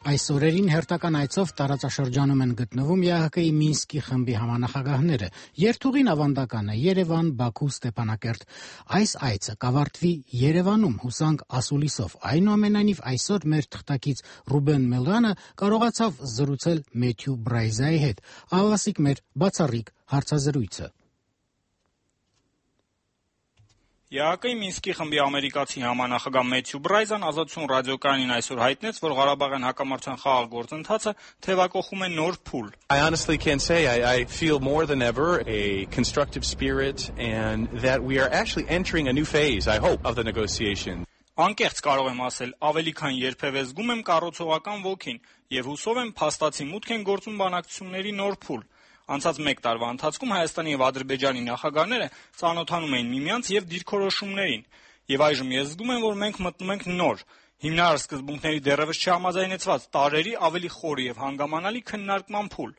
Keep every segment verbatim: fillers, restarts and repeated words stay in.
Այս օրերին հերթական այցով տարածաշրջանում են գտնվում Է Հ Կ-ի Մինսկի խմբի համանախագահները։ Երթուղին ավանդական է՝ Երևան, Բաքու, Ստեփանակերտ։ Այս այցը կավարտվի Երևանում հուսանք ասուլիսով։ Այնուամենայնիվ այսօր մեր թղթակից Ռուբեն Մելոյանը կարողացավ զրուցել Մեթյու Բրայզայի հետ։ Ահավասիկ մեր բացառիկ հարցազրույցը։ Է Հ Կ-ի Մինսկի խմբի ամերիկացի համանախագահ Մեթյու Բրայզան Ազատություն ռադիոկայանին այսօր հայտնեց, որ Ղարաբաղյան հակամարտության խաղաղ գործընթացը թևակողում է նոր փուլ. I honestly can say I, I feel more than ever a constructive spirit and that we are actually entering a new phase, I hope, of the negotiation. Անկեղծ կարող եմ ասել, ավելի քան երբևէ զգում եմ կառուցողական ոգին եւ հուսով եմ փաստացի մուտք են գործում բանակցությունների նոր փուլ։ Անցած մեկ տարվա ընթացքում Հայաստանի եւ Ադրբեջանի նախագահները ծանոթանում էին միմյանց եւ դիրքորոշումներին, եւ այժմ ես զգում եմ, որ մենք մտնում ենք նոր, հիմնարար սկզբունքների դեռևս չհամաձայնեցված տարերի ավելի խորի եւ հանգամանալի քննարկման փուլ։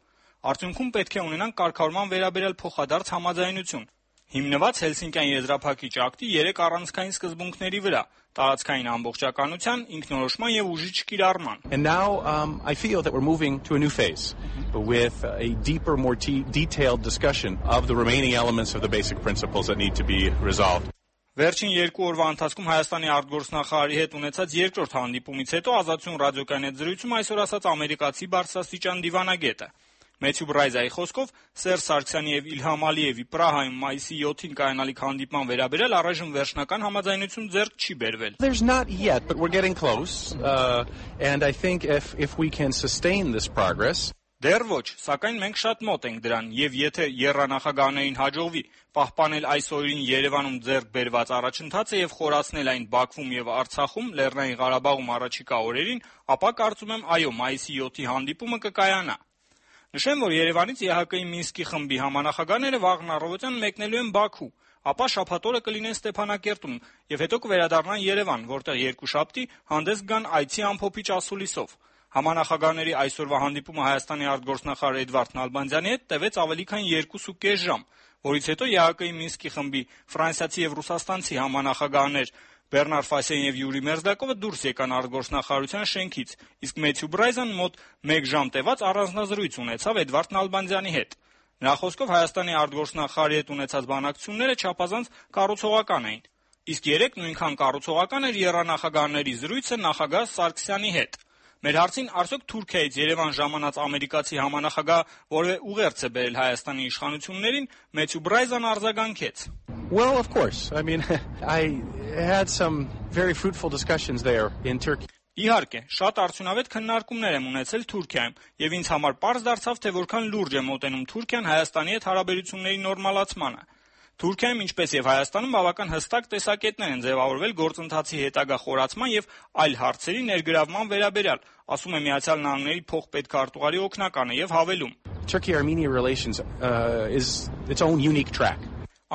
Արդյունքում պետք է ունենանք կարգավորման վերաբերյալ փոխադարձ համաձայնություն, հիմնված Հելսինկյան եզրափակիչ ակտի երեք առանցքային սկզբունքների վրա՝ տարածքային ամբողջականության, ինքնորոշման եւ ուժի չկիրառման։ And now um, I feel that we're moving to a new phase with a deeper, more te- detailed discussion of the remaining elements of the basic principles that need to be resolved. Վերջին երկու օրվա ընթացքում Հայաստանի արտգործնախարարի հետ ունեցած երկրորդ հանդիպումից հետո Ազատություն ռադիոկայանի հետ զրույցում այսօր ասաց ամերիկացի բարձրաստիճան դիվանագետը։ Մեթյու Բրայզայի խոսքով Սերժ Սարգսյանի եւ Իլհամ Ալիևի Պրահայում մայիսի յոթին կայանալիք հանդիպման վերաբերյալ առայժմ վերջնական համաձայնություն ձեռք չի բերվել։ There's not yet, but we're getting close. Uh, and I think if if we can sustain this progress. Դեռ ոչ, սակայն մենք շատ մոտ ենք դրան, եւ եթե եռանախագահներին հաջողվի պահպանել այս օրերին Երևանում ձեռք բերված առաջընթացը եւ խորացնել այն Բաքվում եւ Արցախում, Լեռնային Ղարաբաղում առաջիկա օրերին, ապա կարծում եմ, այո, մայիսի յոթի հանդիպումը կկայանա։ Նշեմ, որ Երևանից Է Հ Կ-ի Մինսկի խմբի համանախագահները վաղն առավոտյան մեկնելու են Բաքու, ապա շաբաթ օրը կլինեն Ստեփանակերտում եւ հետո կվերադառնան Երևան, որտեղ երկուշաբթի հանդես կգան այցի ամփոփիչ ասուլիսով։ Համանախագահների այսօրվա հանդիպումը Հայաստանի արտգործնախարար Էդվարդ Նալբանդյանի հետ տևեց ավելի քան երկուսուկես ժամ, որից հետո Է Հ Կ-ի Մինսկի խմբի ֆրանսիացի եւ ռուսաստանցի համանախագահներ Բեռնար Ֆասյան եւ Յուրի Մերզդակովը դուրս եկան արտգործնախարարության շենքից, իսկ Մեթյու Բրայզան մոտ մեկ ժամ տևած առանձնազրույց ունեցավ Էդվարդ Նալբանդյանի հետ։ Նրա խոսքով Հայաստանի արտգործնախարարի հետ ունեցած բանակցությունները չափազանց կառուցողական էին, իսկ երեք նույնքան կառուցողական էր եռանախագահների զրույցը նախագահ Սարգսյանի հետ։ Մեր հարցին արդյոք Թուրքիայից Երևան ժամանած ամերիկացի համանախագահ որևէ ուղերձ է բերել Հայաստանի իշխանություններին, Մեթյու Բրայզան արձագանքեց. Well, of course. I mean, I had some very fruitful discussions there in Turkey. Իհարկե, շատ արդյունավետ քննարկումներ եմ ունեցել Թուրքիայում, եւ ինձ համար պարզ դարձավ, թե որքան լուրջ է մոտենում Թուրքիան Հայաստանի հետ հարաբերությունների նորմալացմանը։ Թուրքիայում, ինչպես եւ Հայաստանում, բավական հստակ տեսակետներ են ձևավորվել գործընթացի հետագա խորացման եւ այլ հարցերի ներգրավման վերաբերյալ, ասում է Միացյալ Նահանգների փոխպետքարտուղարի օգնականը եւ հավելում. Turkey-Armenia relations uh, is its own unique track.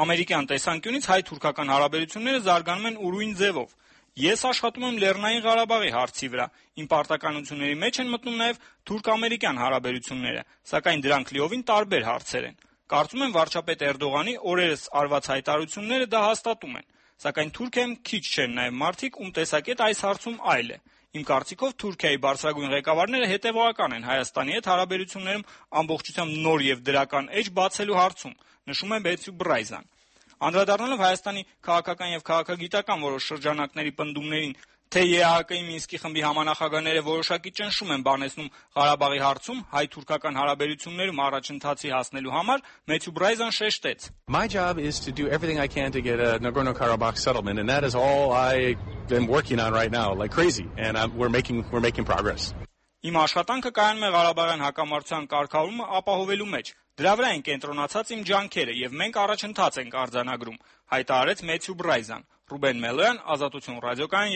Ամերիկյան տեսանկյունից հայ-թուրքական հարաբերությունները զարգանում են ուրույն ձևով։ Ես աշխատում եմ Լեռնային Ղարաբաղի հարցի վրա։ Իմ պարտականությունների մեջ են մտնում նաեւ թուրք-ամերիկյան հարաբերությունները, սակայն դրանք լիովին տարբեր հարցեր են։ Կարծում եմ վարչապետ Էրդողանի օրերս արված հայտարարությունները դա հաստատում են, սակայն Թուրքիայում քիչ չեն նաև մարդիկ, ում տեսակետ այս հարցում այլ է։ Իմ կարծիքով Թուրքիայի բարձրագույն ղեկավարները հետևողական են Հայաստանի հետ հարաբերություններում ամբողջությամբ նոր եւ դրական էջ բացելու հարցում, նշում է Մեթյու Բրայզան։ Անդրադառնալով Հայաստանի քաղաքական եւ քաղաքագիտական որոշ շրջանակների պնդումներին, թե Է Հ Կ-ի Մինսկի խմբի համանախագահները որոշակի ճնշում են բանեցնում Ղարաբաղի հարցում հայ-թուրքական հարաբերություններում առաջընթացի հասնելու համար, Մեթյու Բրայզան շեշտեց. My job is to do everything I can to get a Nagorno-Karabakh settlement, and that is all I am working on right now, like crazy, and I'm, we're making we're making progress. Իմ աշխատանքը կայանում է Ղարաբաղյան հակամարտության կարգավորումը ապահովելու մեջ։ Դրա վրա են կենտրոնացած իմ ջանքերը եւ մենք առաջընթաց ենք արձանագրում, հայտարարեց Մեթյու Բրայզան։ Ռուբեն Մելոյան, Ազատություն ռադիոկայան